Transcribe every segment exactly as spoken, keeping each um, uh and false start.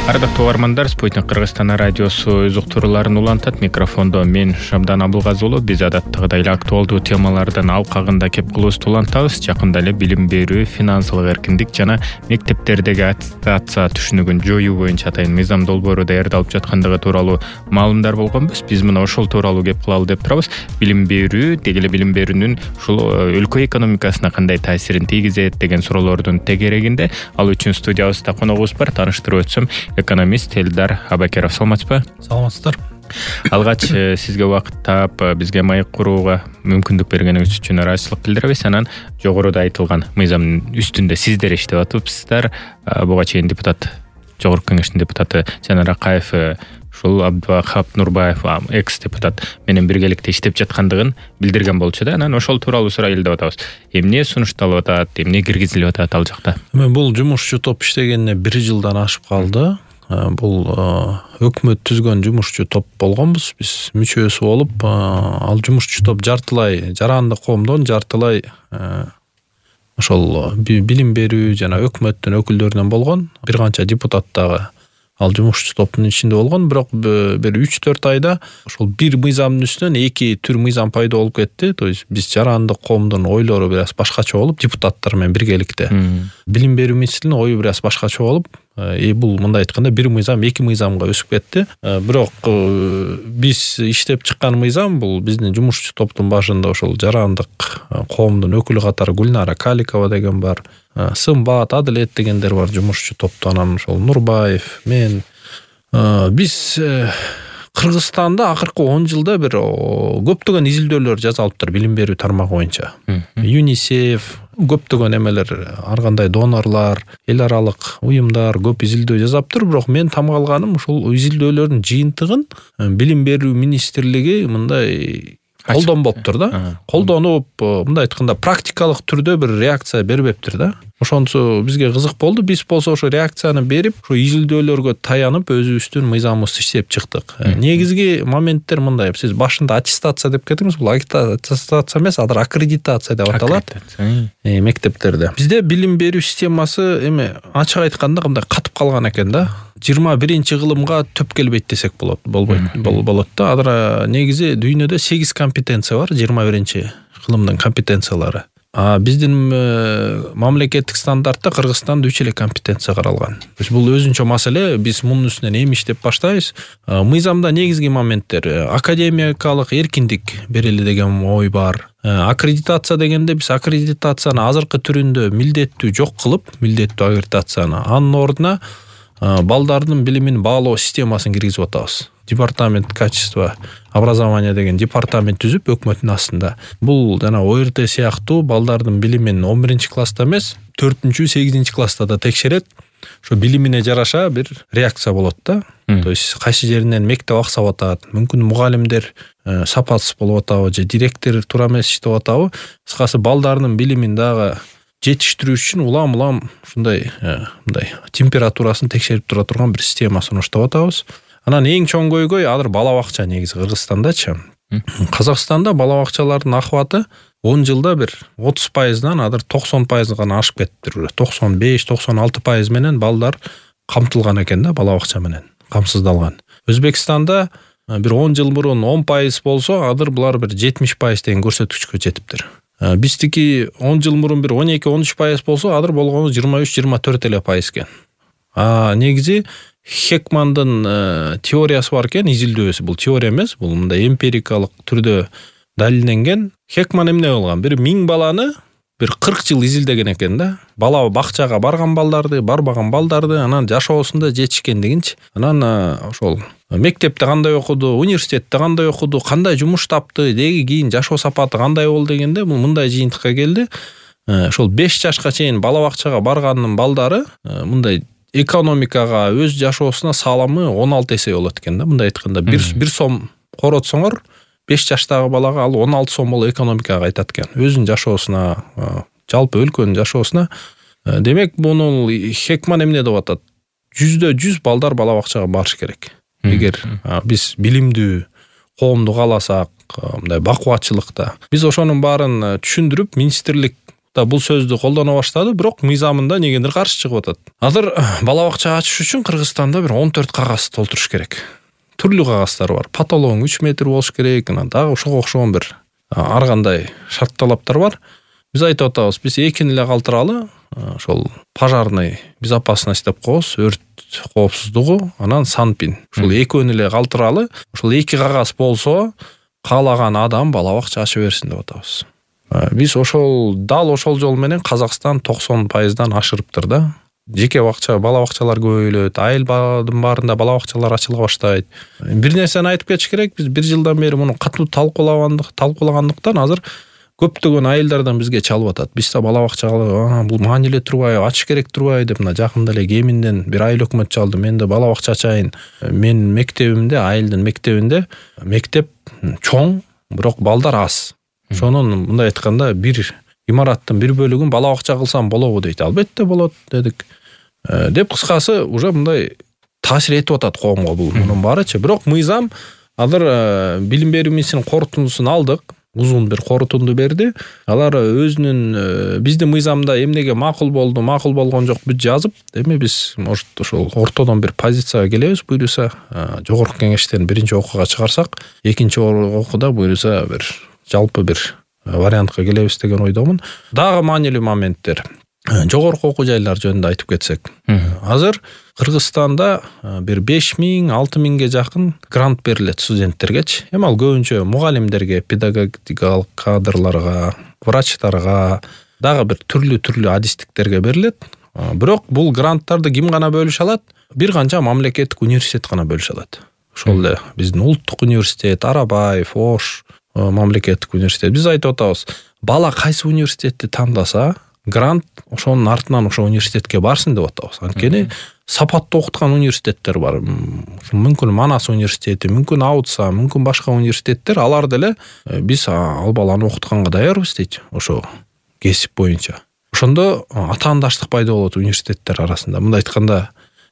Ардактуу угармандар, Спутник Кыргызстан радиосу өз уктурууларын улантат. Микрофондо мен Шамдан Абылгазы уулу. Биз адаттагыдай эле актуалдуу темалардын алкагында кеп кылуубузду улантабыз. Жакында эле билим берүү, финансылык эркиндик жана мектептердеги аттестация түшүнүгүн жоюу боюнча атайын мыйзам долбоору даярдалып жаткандыгы тууралуу маалымдар болгонбуз. Биз мына ошол тууралуу кеп кылалы деп турабыз. Билим берүү, деги эле билим берүүнүн ушул өлкө экономикасына кандай таасирин тийгизет деген суроолордун тегерегинде. Ал үчүн студиябызда коногубуз бар. Тааныштырып өтсөм, экономист Элдар Абакеров. Саламатсызбы? Саламатсыздар. Алгач сизге убакыт таап бизге маек курууга мүмкүндүк бергениңиз үчүн ыраазычылык билдиребиз. Анан жогоруда айтылган мыйзамдын үстүндө сиздер иштеп атыпсыздар. Буга чейин депутат, Жогорку Кеңештин депутаты Жанар Акаев ушул Абдывахап Нурбаев экс депутат менен биргеликте иштеп жаткандыгын билдирген болчу да. Анан ошол тууралуу сурайлы деп атабыз. Эмне сунушталып атат, эмне киргизилип атат ал жакта? Мен бул жумушчу топ иштегенине бир жылдан ашып калды. Бул өкмөт түзгөн жумушчу топ болгонбуз. Биз мүчөсү болуп, ал жумушчу топ жартылай жарандык коомдон, жартылай ошол билим берүү жана өкмөттүн өкүлдөрүнөн болгон. Бир канча депутат дагы ал жумушчу топтун ичинде болгон. Бирок бир үч төрт айда ошол бир мыйзамдын үстүнөн эки түр мыйзам пайда болуп кетти. То есть биз жарандык коомдун ойлору бир аз башкача болуп, депутаттар менен биргеликте билим берүү министринин ою бир аз башкача болуп, и бул мындай айтканда бир мыйзам эки мыйзамга өсүп кетти. Бирок биз иштеп чыккан мыйзам бул биздин жумушчу топтун башында ошол жарандык коомдун өкүлү катары Гүлнара Каликова деген бар, Сымбат, Адилет дегендер бар жумушчу топто. Анан ошол Нурбаев, мен. Биз Кыргызстанда акыркы он жылда бир көптөгөн изилдөөлөр жасалыптыр билим берүү тармагы боюнча. ЮНИСЕФ, көптөгөн эмелер, ар кандай донорлар, эл аралык уюмдар көп изилдөө жасаптыр. Бирок мен тамгалганым ушул изилдөөлөрдүн жыйынтыгын билим берүү министрлиги мындай колдонбоптур да. Колдонуп, мындай айтканда практикалык түрдө бир реакция бербептир да. Ошонсу бизге кызык болду. Биз болсо ошо реакцияны берип, ошо изилдөөлөргө таянып өзүбүздүн мыйзамыбызды иштеп чыктык. Негизги моменттер мындай. Сиз башында аттестация деп кеттиңиз. Бул аттестация эмес, азыр аккредитация деп аталат. Мектептерде. Бизде билим берүү системасы эме ачык айтканда кандай катып калган экен да. жыйырма биринчи кылымга төп келбейт десек болот, болбойт, болот да. Азыр негизи дүйнөдө сегиз компетенция бар, жыйырма биринчи кылымдын компетенциялары. А биздин мамлекеттик стандартта Кыргызстанда үч эле компетенция каралган. Бул өзүнчө маселе. Биз мунун үстүнөн эми иштеп баштайбыз. Мыйзамда негизги моменттер академиялык эркиндик берели деген ой бар. Аккредитация дегенде биз аккредитацияны азыркы түрүндө милдеттүү жок кылып, милдеттүү аккредитацияны анын ордуна балдардын билимин баалоо системасын киргизип атабыз. Департамент качества образования деген департамент түзүп өкмөттүн астында. Бул жана О Р Т сыяктуу балдардын билимин он биринчи класста эмес, төртүнчү, сегизинчи класста да текшерет. Ошо билимине жараша бир реакция болот да. То есть кайсы жеринен мектеп аксап атат, мүмкүн мугалимдер сапатсыз болуп атабы, же директор туура эмес иштеп атабы. Кыскасы балдардын билимин дагы жетиштирүү үчүн улам-улам ушундай мындай температурасын текшерип тура турган бир система сунуштап атабыз. Анан эң чоң көйгөй азыр бала бакча негизи Кыргызстандачы. Казакстанда бала бакчалардын акыбаты он жылда бир отуз пайыздан азыр токсон пайызга гана ашып кетиптир. токсон беш токсон алты пайыз менен балдар камтылган экен да, бала бакча менен камсыздалган. Өзбекстанда бир он жыл мурун он пайыз болсо, азыр булар бир жетимиш пайыз деген көрсөткүчкө жетиптир. Биздики он жыл мурун бир он эки он үч пайыз болсо, азыр болгону жыйырма үч жыйырма төрт эле пайыз экен. А негизи Хекмандын теориясы бар экен, изилдөөсү. Бул теория эмес, бул мындай эмпирикалык түрдө далилденген. Хекман эмне кылган? Бир миң баланы бир кырк жыл изилдеген экен да. Бала бакчага барган балдарды, барбаган балдарды, анан жашоосунда жетишкендигинчи. Анан ошол мектепте кандай окуду, университетте кандай окуду, кандай жумуш тапты, деги кийин жашоо сапаты кандай болду дегенде бул мындай жыйынтыкка келди. Ошол беш жашка чейин бала бакчага барганын балдары мындай экономикага, өз жашоосуна салымы он алты эсе болот экен да. Мындай айтканда бир бир сом коротсоңор беш жаштагы балага ал он алты сом болуп экономикага кайтат экен. Өзүнүн жашоосуна, жалпы өлкөнүн жашоосуна. Демек, буну Хекман эмне деп атат? жүздө жүз балдар бала бакчага барыш керек. Эгер биз билимдүү коомду кааласак, мындай бакубатчылыкта. Биз ошонун баарын түшүндүрүп, министрлик да бул сөздү колдоно баштады, бирок мыйзамында негедир каршы чыгып атат. Азыр бала бакча ачыш үчүн Кыргызстанда бир он төрт кагаз толтуруш керек. Түрлүү кагаздар бар. Потологуң үч метр болуш керек, анан дагы ошого окшогон бир ар кандай шарт талаптар бар. Биз айтып атабыз, биз экини эле калтыралы, ошол пожарный безопасность деп коебуз, өрт коопсуздугу, анан санпин. Ушул экөөнү эле калтыралы, ушул эки кагаз болсо, каалаган адам бала бакча ача берсин деп атабыз. Биз ошол дал ошол жол менен Казакстан токсон пайыздан ашырыптыр да. Жеке бакча, бала бакчалар көбөйлөт, айылдын баарында бала бакчалар ачыла баштайт. Бир нерсени айтып кетиш керек, биз бир жылдан бери муну катуу талкуулагандык, талкуулагандыктан азыр көптөгөн айылдардан бизге чалып атат. Биз да бала бакчага бул маанилүү турбайбы, ачыш керек турбайбы деп, мына жакында эле Кеминден бир айыл өкмөт чалды. Мен да бала бакча ачайын. Мен мектебимде, айылдын мектебинде мектеп чоң, бирок балдар аз. Ошонун мындай айтканда бир имараттын бир бөлүгүн бала бакча кылсам болобу дейт. Албетте болот дедик. Деп кыскасы уже мындай таасир этип атат коомго бул мунун баарычы. Бирок мыйзам азыр билим берүү министринин корутундусун алдык. Узун бир корутунду берди. Алар өзүнүн биздин мыйзамда эмнеге макул болду, макул болгон жок бүт жазып, эми биз может ошол ортодон бир позицияга келебиз, буюрса жогорку кеңештен биринчи окууга чыгарсак, экинчи окууда буюрса бир жалпы бир вариантка келебиз деген ойдомун. Дагы маанилүү моменттер. Жогорку окуу жайлар жөнүндө айтып кетсек. Азыр Кыргызстанда бир беш миң, алты миңге жакын грант берилет студенттергечи. Эми ал көбүнчө мугалимдерге, педагогикалык кадрларга, врачтарга, дагы бир түрлүү-түрлүү адистиктерге берилет. Бирок бул гранттарды ким гана бөлүшө алат? Бир канча мамлекеттик университет гана бөлүшө алат. Ошол эле биздин улуттук университет, Арабаев, Ош мамлекеттик университет. Биз айтып атабыз, бала кайсы университетти тандаса, грант ошонун артынан ошо университетке барсын деп атабыз. Анткени сапаттуу окуткан университеттер бар. Мүмкүн Манас университети, мүмкүн Аутса, мүмкүн башка университеттер, алар деле биз ал баланы окутканга даярбыз дейт, ошо кесип боюнча. Ошондо атаандаштык пайда болот университеттер арасында. Мындай айтканда,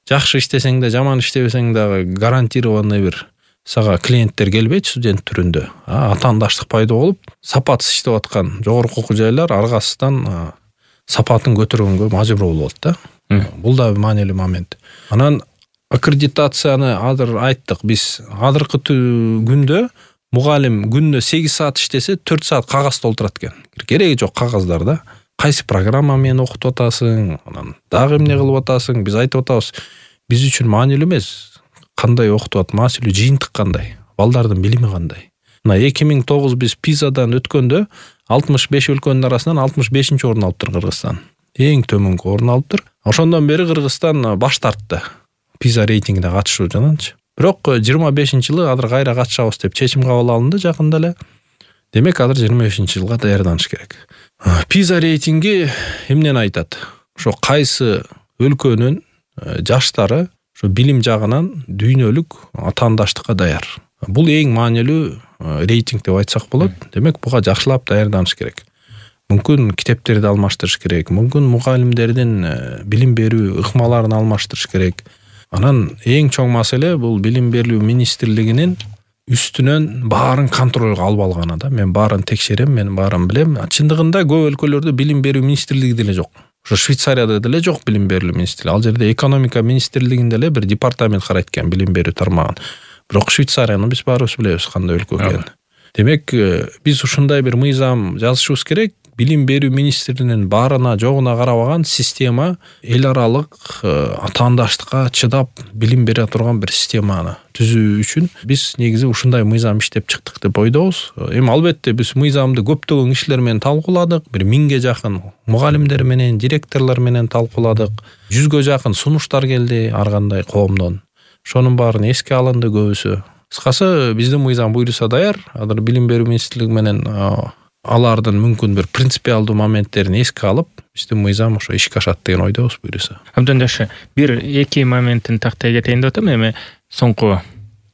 жакшы иштесең да, жаман иштебесең дагы гарантированный бир сага клиенттер келбейт студент түрүндө. Атаандаштык пайда болуп, сапатсыз иштеп аткан жогорку окуу жайлар аргасыздан сапатын көтөргөнгө мажбур болот да. Бул да маанилүү момент. Анан аккредитацияны азыр айттык. Биз азыркы күндө мугалим күнүнө сегиз саат иштесе, төрт саат кагаз толтурат экен. Кереги жок кагаздар да. Кайсы программа менен окутуп атасың, анан дагы эмне кылып атасың? Биз айтып атабыз, биз үчүн маанилүү эмес кандай окутуп атат, маанилүү жыйынтык кандай, балдардын билими кандай. Мына эки миң тогуз биз Пизадан өткөндө алтымыш беш өлкөнүн арасынан алтымыш бешинчи орун алыптыр Кыргызстан. Эң төмөнкү орун алыптыр. Ошондон бери Кыргызстан баш тартты Пиза рейтингине катышууданчы. Бирок жыйырма бешинчи жылы азыр кайра катышабыз деп чечим кабыл алынды жакында эле. Демек азыр жыйырма бешинчи жылга даярданыш керек. Пиза рейтинги эмнени айтат? Ошо кайсы өлкөнүн жаштары ошо билим жагынан дүйнөлүк атаандаштыкка даяр. Бул эң маанилүү рейтинг деп айтсак болот. Демек буга жакшылап даярданыш керек. Мүмкүн китептерди алмаштырыш керек, мүмкүн мугалимдердин билим берүү ыкмаларын алмаштырыш керек. Анан эң чоң маселе бул билим берүү министрлигинин үстүнөн баарын контролго алып алганы да. Мен баарын текшерем, мен баарын билем. Чындыгында көп өлкөлөрдө билим берүү министрлиги деле жок. Ошо Швейцарияда деле жок билим берүү министрлиги. Ал жерде экономика министрлигинде эле бир департамент карайт экен билим берүү тармагын. Бирок Швейцарияны биз баарыбыз билебиз кандай өлкө экенин. Демек, биз ушундай бир мыйзам жазышыбыз керек. Билим берүү министринин баарына жогуна карабаган система, эл аралык атаандаштыкка чыдап билим бере турган бир системаны түзүү үчүн биз негизи ушундай мыйзам иштеп чыктык деп ойдобуз. Эми албетте биз мыйзамды көптөгөн кишилер менен талкууладык. Бир миңге жакын мугалимдер менен, директорлор менен талкууладык. Жүзгө жакын сунуштар келди ар кандай коомдон. Ошонун баарын эске алынды көбүсү. Кыскасы биздин мыйзам буйруса даяр. Азыр билим берүү министрлиги менен алардын мүмкүн бир принципиалдуу моменттерин эске алып, биздин мыйзам ошо ишке ашат деген ойдобуз буйруса. Абдан жакшы. Бир эки моментин тактай кетейин деп атам. Эми соңку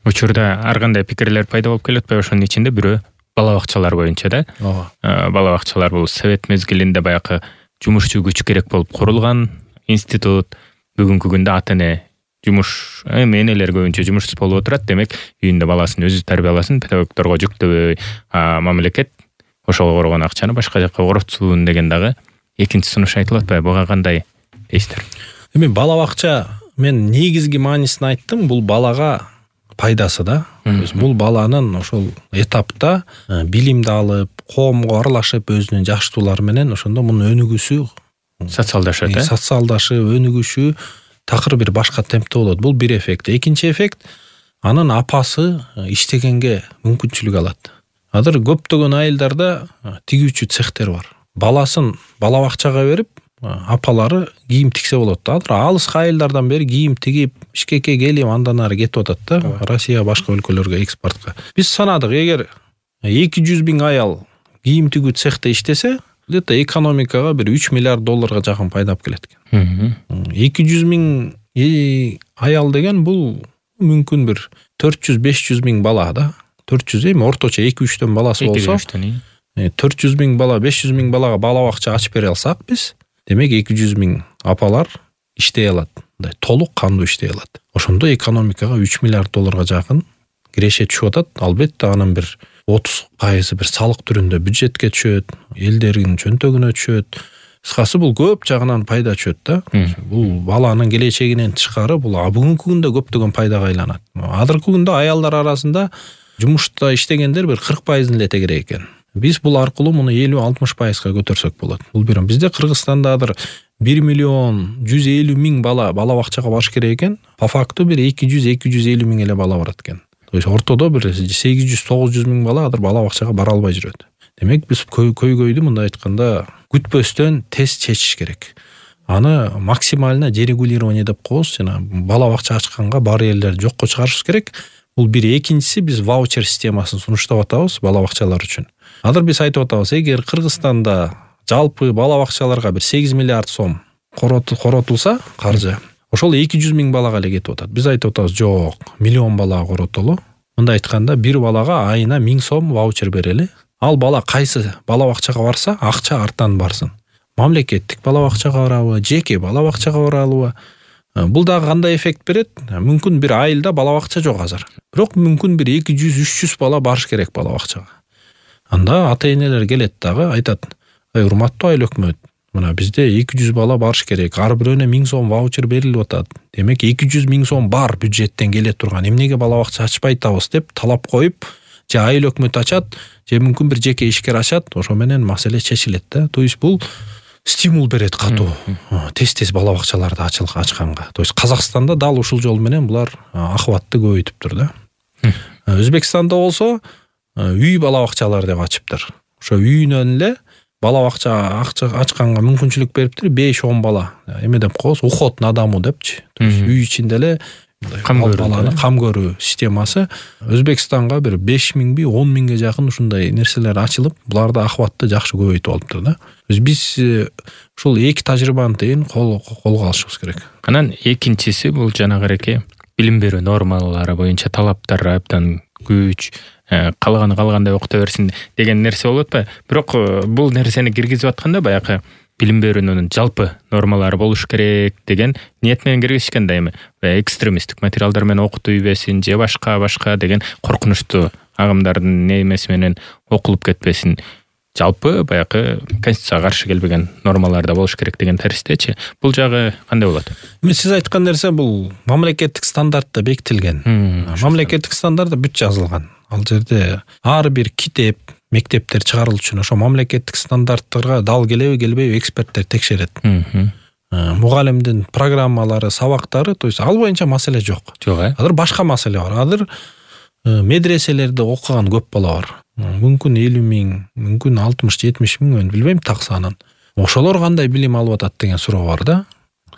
учурда ар кандай пикирлер пайда болуп келет, ошонун ичинде бирөө бала бакчалар боюнча да. Бала бакчалар бул совет мезгилинде баягы жумушчу күч керек болуп курулган институт. Бүгүнкү күндө ата-эне жумуш, эми энелер көбүнчө жумушсуз болуп отурат. Демек, үйүндө баласын өзү тарбияласын, педагогдорго жүктөбөй, мамлекет ошого коргон акчаны башка жакка коротсун деген дагы экинчи сунуш айтылып атпайбы, буга кандай дейсиздер? Эми бала бакча мен негизги маанисин айттым, бул балага пайдасы да. То есть бул баланын ошол этапта билимди алып, коомго аралашып, өзүнүн жаштуулары менен ошондо мунун өнүгүүсү, социалдашат, э? Социалдашып, өнүгүшү такыр бир башка темпте болот. Бул бир эффект. Экинчи эффект, анын апасы иштегенге мүмкүнчүлүк алат. Азыр көптөгөн айылдарда тигүүчү цехтер бар. Баласын бала бакчага берип, апалары кийим тиксе болот да. Азыр алыскы айылдардан бери кийим тигип, Бишкекке келип андан ары кетип атат да. Россия башка өлкөлөргө экспортко. Биз санадык, эгер эки жүз миң аял кийим тигүү цехте иштесе, где-то экономикага бир үч миллиард долларга жакын пайда алып келет экен. эки жүз миң аял деген бул мүмкүн бир төрт жүз беш жүз миң бала да. төрт жүз эми орточо эки үчтөн баласы болсо, төрт жүз миң бала, беш жүз миң балага бала бакча ачып бере алсак биз, демек эки жүз миң апалар иштей алат. Мындай толук кандуу иштей алат. Ошондо экономикага үч миллиард долларга жакын киреше түшүп атат. Албетте анын бир отуз пайызы бир салык түрүндө бюджетке түшөт, элдердин чөнтөгүнө түшөт. Кыскасы бул көп жагынан пайда түшөт да. Бул баланын келечегинен тышкары бул бүгүнкү күндө көптөгөн пайдага айланат. Азыркы күндө аялдар арасында жумушта иштегендер бир кырк пайызын эле тегерек экен. Биз бул аркылуу муну элүү алтымыш пайызга көтөрсөк болот. Бул бир бизде Кыргызстанда азыр бир миллион жүз элүү миң бала бала бакчага барыш керек экен. По факту бир эки жүз эки жүз элүү миң эле бала барат экен. То есть ортодо бир сегиз жүз тогуз жүз миң бала азыр бала бакчага бара албай жүрөт. Демек биз көйгөйдү мындай айтканда күтпөстөн тез чечиш керек. Аны максимально дерегулирование деп коебуз, жана бала бакча ачканга бар элдерди жокко чыгарышыбыз керек. Бул бир. Экинчиси, биз ваучер системасын сунуштап атабыз бала бакчалар үчүн. Азыр биз айтып атабыз, эгер Кыргызстанда жалпы бала бакчаларга бир сегиз миллиард сом коротулса каржы, ошол эки жүз миң балага эле кетип атат. Биз айтып атабыз, жок, миллион балага коротолу. Мындай айтканда, бир балага айына миң сом ваучер берели. Ал бала кайсы бала бакчага барса, акча арттан барсын. Мамлекеттик бала бакчага барабы, жеке бала бакчага барабы? Бул дагы кандай эффект берет? Мүмкүн бир айылда бала бакча жок азыр. Бирок мүмкүн бир эки жүз үч жүз бала барыш керек бала бакчага. Анда ата-энелер келет дагы, айтат: "Ай, урматтуу айыл өкмөт, мына бизде эки жүз бала барыш керек. Ар бирөөнө миң сом ваучер берилип атат. Демек эки жүз миң сом бар бюджеттен келе турган. Эмнеге бала бакча ачпай атабыз?" деп талап коюп, же айыл өкмөт ачат, же мүмкүн бир жеке ишкер ачат, ошо менен маселе чечилет да. То есть бул стимул берет катуу. Тез-тез бала бакчаларды ачканга. То есть Казакстанда дал ушул жол менен булар акыбатты көбөйтүптүр да. Өзбекстанда болсо үй бала бакчалары деп ачыптыр. Ошо үйүнөн эле бала бакча ачканга мүмкүнчүлүк бериптир, беш он бала. Эме деп коебуз, уход на дому депчи. То есть үй ичинде эле кам көрүү, кам көрүү системасы. Өзбекстанга бир беш миңби, он миңге жакын ушундай нерселер ачылып, буларды акыбатты жакшы көбөйтүп алыптыр да. Биз ушул эки тажрыйбаны тең колго алышыбыз керек. Анан экинчиси бул жанагы билим берүү нормалары боюнча талаптар абдан күч, калганы калгандай окута берсин деген нерсе болуп атпайбы? Бирок бул нерсени киргизип атканда баягы билим берүүнүн жалпы нормалары болуш керек деген ниет менен киргизишкен да, эми экстремисттик материалдар менен окутуу ийбесин же башка башка деген коркунучтуу агымдардын немеси менен окулуп кетпесин. Жалпы баягы конституцияга каршы келбеген нормаларда болуш керек деген таристечи. Бул жагы кандай болот? Мен сиз айткан нерсе бул мамлекеттик стандартта бекитилген. Мамлекеттик стандартта бүт жазылган. Ал жерде ар бир китеп, мектептер чыгарылыш үчүн ошо мамлекеттик стандарттарга дал келеби, келбейби эксперттер текшерет. Мугалимдин программалары, сабактары, то есть ал боюнча маселе жок. Жок, э? Азыр башка маселе бар. Азыр медреселерде окуган көп бала бар. Мүмкүн элүү миң, мүмкүн алтымыш жетимиш миң, мен билбейм так санын. Ошолор кандай билим алып атат деген суроо бар да.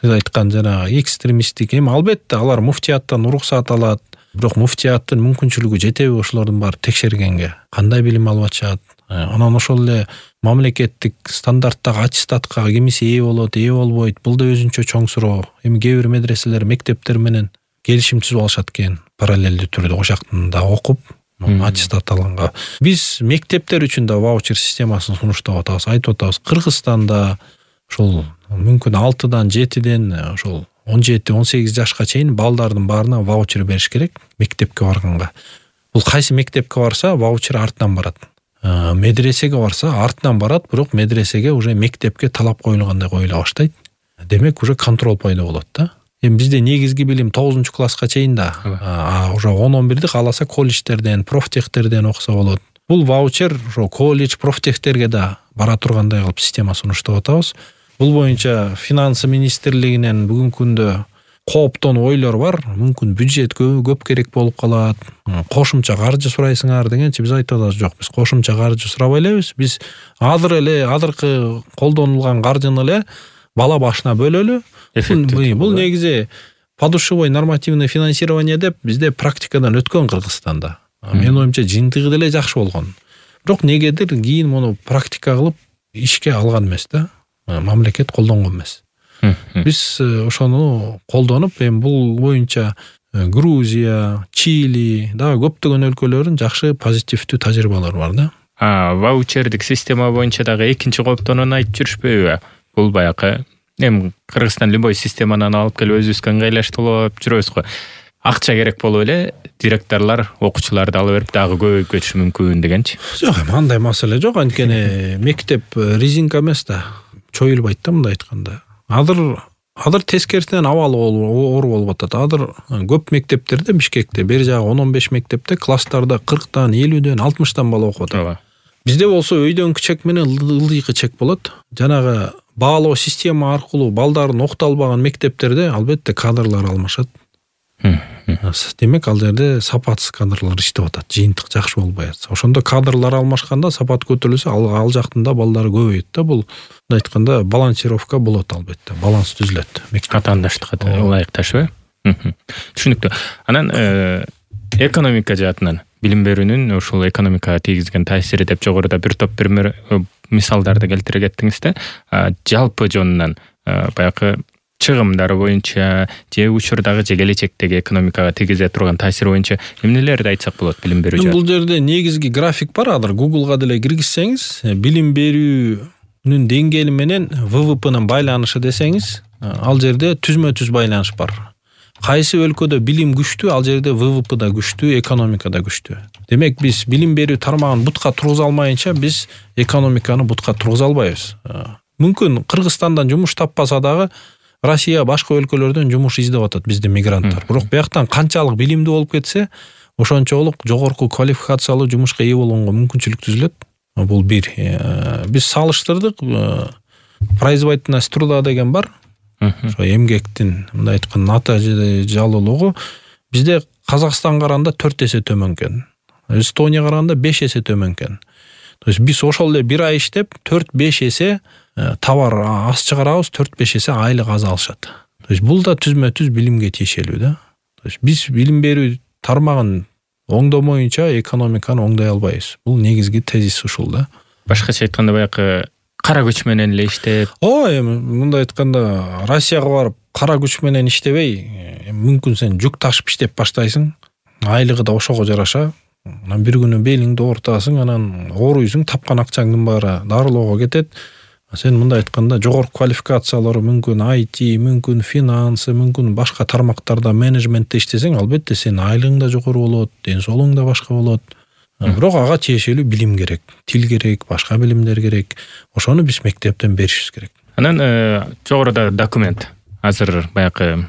Сиз айткан жана экстремисттик, эми албетте алар муфтияттан уруксат алат. Бирок муфтияттын мүмкүнчүлүгү жетеби ошолордун баары текшергенге? Кандай билим алып атышат? Анан ошол эле мамлекеттик стандарттагы аттестатка кимиси ээ болот, ээ болбойт. Бул да өзүнчө чоң суроо. Эми кээ бир медреселер мектептер менен келишим түзүп алышат экен, параллелдүү түрдө ошактында окуп аттестат алганга. Биз мектептер үчүн да ваучер системасын сунуштап атабыз, айтып атабыз. Кыргызстанда ошол мүмкүн алтыдан жетиден ошол он жети он сегиз жашка чейин балдардын баарына ваучер бериш керек мектепке барганга. Бул кайсы мектепке барса ваучер арттан барат. медресеге барса артынан барат, бирок медресеге уже мектепке талап коюлгандай коюла баштайт. Демек уже контроль пайда болот да. Эми бизде негизги билим тогузунчу класска чейин да. А уже он он бирди кааласа колледждерден, профтехтерден окуса болот. Бул ваучер ошо колледж, профтехтерге да бара тургандай кылып система сунуштап атабыз. Бул боюнча финансы министрлигинен бүгүнкү күндө кооптон ойлор бар. Мүмкүн бюджет көп керек болуп калат. Кошумча каржы сурайсыңар дегенчи биз айтып атабыз, жок, биз кошумча каржы сурабай элебиз. Биз азыр эле азыркы колдонулган каржыны эле бала башына бөлөлү. Бул негизи подушевой нормативный финансирование деп бизде практикадан өткөн Кыргызстанда. Менин оюмча жыйынтыгы деле жакшы болгон. Бирок негедир кийин муну практика кылып ишке алган эмес да. Мамлекет колдонгон эмес. Биз ошону колдонуп, эми бул боюнча Грузия, Чили, да көптөгөн өлкөлөрдүн жакшы позитивдүү тажрыйбалары бар да. А, ваучердик система боюнча дагы экинчи кооптонууну айтып жүрүшпөйбү? Бул баягы эми Кыргызстан любой системанан алып келип өзүбүзгө ыңгайлаштырып жүрөбүз го. Акча керек болуп эле директорлор окуучуларды алып берип дагы көбөйүп кетиши мүмкүн дегенчи. Жок, эми андай маселе жок. Анткени мектеп резинка эмес да. Чоюлбайт да мындай айтканда. Азыр азыр тескерисинен абалы оор болуп атат. Азыр көп мектептерде, Бишкекте, бери жагы он он беш мектепте класстарда кырктан, элүүдөн, алтымыштан бала окуп атат. Бизде болсо өйдөн чек менен ылдыйкы чек болот. Жанагы баалоо система аркылуу балдарын окута албаган мектептерде албетте кадрлар алмашат. Демек ал жерде сапатсыз кадрлар иштеп атат. Жыйынтык жакшы болбой атса. Ошондо кадрлар алмашканда сапат көтөрүлсө, ал, ал жактында балдары көбөйөт да. Бул мындай айтканда балансировка болот албетте. Баланс түзүлөт. Катаандаштыкка ылайыкташпы? Түшүнүктүү. Анан экономика жаатынан билим берүүнүн ушул экономикага тийгизген таасири деп жогоруда бир топ бир мисалдарды келтире кеттиңиз да. Жалпы жонунан баягы чыгымдары боюнча же учурдагы же келечектеги экономикага тийгизе турган таасири боюнча эмнелерди айтсак болот билим берүү жаатында? Бул жерде негизги график бар. Азыр Google'га деле киргизсеңиз, билим берүүнүн деңгээли менен вэ вэ пэнин байланышы десеңиз, ал жерде түзмө-түз байланыш бар. Кайсы өлкөдө билим күчтүү, ал жерде вэ вэ пэ да күчтүү, экономика да күчтүү. Демек биз билим берүү тармагын бутка тургуза алмайынча биз экономиканы бутка тургуза албайбыз. Мүмкүн Кыргызстандан жумуш таппаса дагы Россия башка өлкөлөрдөн жумуш издеп атат бизде мигранттар. Бирок бияктан канчалык билимдүү болуп кетсе, ошончолук жогорку квалификациялуу жумушка ээ болгонго мүмкүнчүлүк түзүлөт. Бул бир. Биз салыштырдык. Производительность труда деген бар. Ошо эмгектин мындай айтканда натыйжалуулугу бизде Казакстанга караганда төрт эсе төмөн экен. Эстонияга караганда беш эсе төмөн экен. То есть биз ошол эле бир ай иштеп төрт беш эсе товар аз чыгарабыз, төрт беш эсе айлык аз алышат. То есть бул да түзмө-түз билимге тиешелүү да. То есть биз билим берүү тармагын оңдомоюнча экономиканы оңдой албайбыз. Бул негизги тезис ушул да. Башкача айтканда баягы кара күч менен эле иштеп. О, эми мындай айтканда Россияга барып кара күч менен иштебей, мүмкүн сен жүк ташып иштеп баштайсың. Айлыгы да ошого жараша. Анан бир күнү белиңди ортасың, анан ооруйсуң, тапкан акчаңдын баары дарылоого кетет. Сен мындай айтканда жогорку квалификациялары мүмкүн ай ти, мүмкүн финансы, мүмкүн башка тармактарда менеджментте иштесең, албетте сен айлыгың да жогору болот, ден соолугуң да башка болот. Бирок ага тиешелүү билим керек, тил керек, башка билимдер керек. Ошону биз мектептен беришибиз керек. Анан жогоруда документ азыр баягы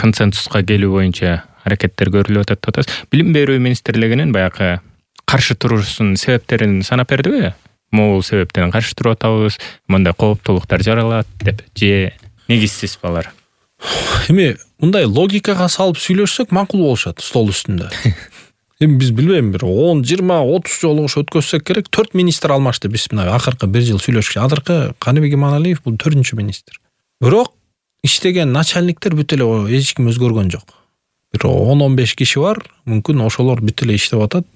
консенсуска келүү боюнча аракеттер көрүлүп атат атат. Билим берүү министрлигинин баягы каршы турушунун себептерин санап бердиби? Могул себептен каршы туруп атабыз, мындай кооптуулуктар жаралат деп, же негизсиз балар? Эми мындай логикага салып сүйлөшсөк макул болушат стол үстүндө. Эми биз билбейм, бир он, жыйырма, отуз жолу ошо өткөзсөк керек. төрт министр алмашты биз мына акыркы бир жыл сүйлөшкөн. Азыркы Каныбек Иманалиев бул төртүнчү министр. Бирок иштеген начальниктер бүт эле эч ким өзгөргөн жок. Бир он он беш киши бар, мүмкүн ошолор бүт эле иштеп атат.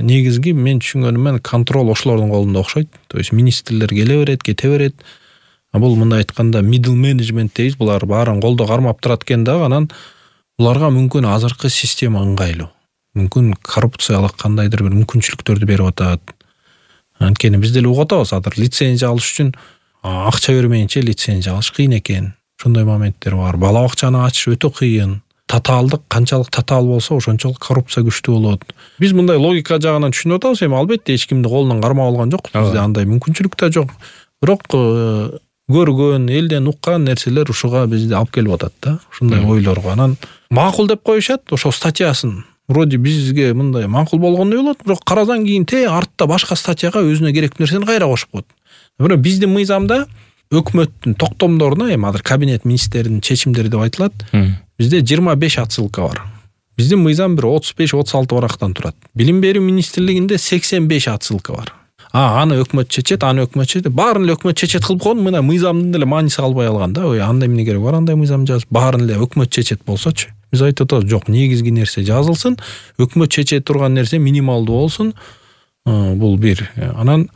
Негизги мен түшүнгөнүм менен контроль ошолордун колунда окшойт. То есть министрлер келе берет, кете берет. А бул мындай айтканда middle management дейбиз, булар баарын колдо кармап турат экен да, анан буларга мүмкүн азыркы система ыңгайлуу. Мүмкүн коррупциялык кандайдыр бир мүмкүнчүлүктөрдү берип атат. Анткени биз деле угуп атабыз, азыр лицензия алыш үчүн акча бермейинче лицензия алыш кыйын экен. Ошондой моменттер бар. Бала бакчаны ачыш өтө кыйын. татаалдык канчалык татаал болсо ошончолук коррупция күчтүү болот. Биз мындай логика жагынан түшүнүп атабыз, эми албетте эч кимди колунан кармап алган жокпуз. Бизде андай мүмкүнчүлүк да жок. Бирок көргөн, элден уккан нерселер ушуга бизди алып келип атат да. Ушундай ойлорго. Анан макул деп коюшат, ошо статьясын. Вроде бизге мындай макул болгондой болот, бирок карасаң кийин те артта башка статьяга өзүнө керектүү нерсени кайра кошуп коет. Бирок биздин мыйзамда өкмөттүн токтомдоруна, эми азыр кабинет министринин чечимдери деп айтылат. Бизде жыйырма беш отсылка бар. Биздин мыйзам бир отуз беш отуз алты барактан турат. Билим берүү министрлигинде сексен беш отсылка бар. А, аны өкмөт чечет, аны өкмөт чечет. Баарын эле өкмөт чечет кылып койгон, мына мыйзамдын деле мааниси калбай калган да. Ой, андай эмне керек бар, андай мыйзам жазып, баарын эле өкмөт чечет болсочу. Биз айтып атабыз, жок, негизги нерсе жазылсын, өкмөт чече турган нерсе минималдуу болсун. Бул бир. Анан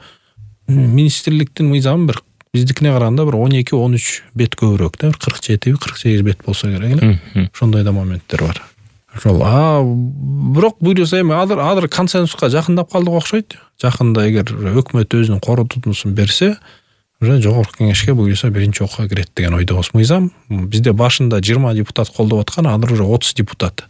министрликтин мыйзамы бир биздикине караганда бир он эки он үч бет көбүрөөк да, кырк жети кырк сегиз бет болсо керек эле. Ошондой да моменттер бар. Ошол. А, бирок буюрса эми азыр азыр консенсуска жакындап калдык окшойт. Жакында эгер өкмөт өзүнүн корутуусун берсе, уже жогорку кеңешке буюрса биринчи окууга кирет деген ойдобуз. Мыйзам бизде башында жыйырма депутат колдоп аткан, азыр уже отуз депутат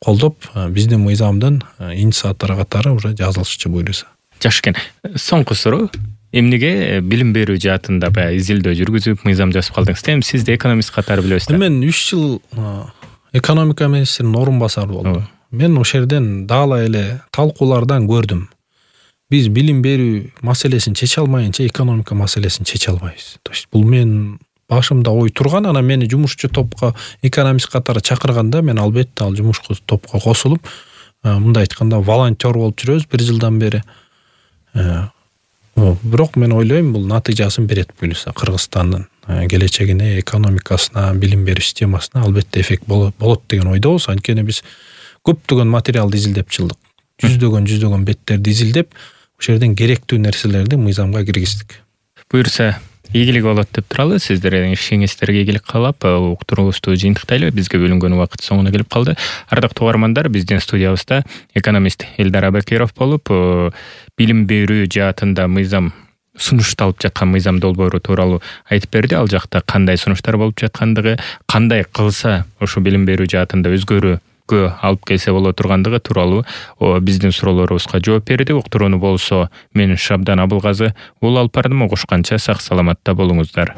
колдоп биздин мыйзамдын инициатору катары уже жазылышчы буюрса. Жакшы экен. Соңку суроо. Эмнеге билим берүү жаатында баягы изилдөө жүргүзүп мыйзам жазып калдыңыз? Эми сизде экономист катары билебиз да. Мен үч жыл экономика министринин орун басары болдум. Мен ошол жерден дагы эле талкуулардан көрдүм. Биз билим берүү маселесин чече алмайынча экономика маселесин чече албайбыз. То есть бул мен башымда ой турган, анан мени жумушчу топко экономист катары чакырганда мен албетте ал жумушчу топко косулуп, мындай айтканда волонтер болуп жүрөбүз бир жылдан бери. Бирок мен ойлойм, бул натыйжасын берет буюрса Кыргызстандын келечегине, экономикасына, билим берүү системасына албетте эффект болот деген ойдобуз. Анткени биз көптөгөн материалды изилдеп чылдык. Жүздөгөн жүздөгөн беттерди изилдеп, ошол жерден керектүү нерселерди мыйзамга киргиздик. Буюрса, ийгилик болот деп туралы. Сиздердин ишиңиздерге ийгилик каалап, уктуруубузду жыйынтыктайлы. Бизге бөлүнгөн убакыт соңуна келип калды. Ардактуу угармандар, биздин студиябызда экономист Элдар Абакиров болуп, билим берүү жаатында мыйзам сунушталып жаткан мыйзам долбоору тууралуу айтып берди. Ал жакта кандай сунуштар болуп жаткандыгы, кандай кылса ошо билим берүү жаатында өзгөрүү алып келсе боло тургандыгы тууралуу биздин суроолорубузга жооп берди. Уктурууну болсо мен Шабдан Абылгазы ул алып бардым. Угушканча сак саламатта болуңуздар.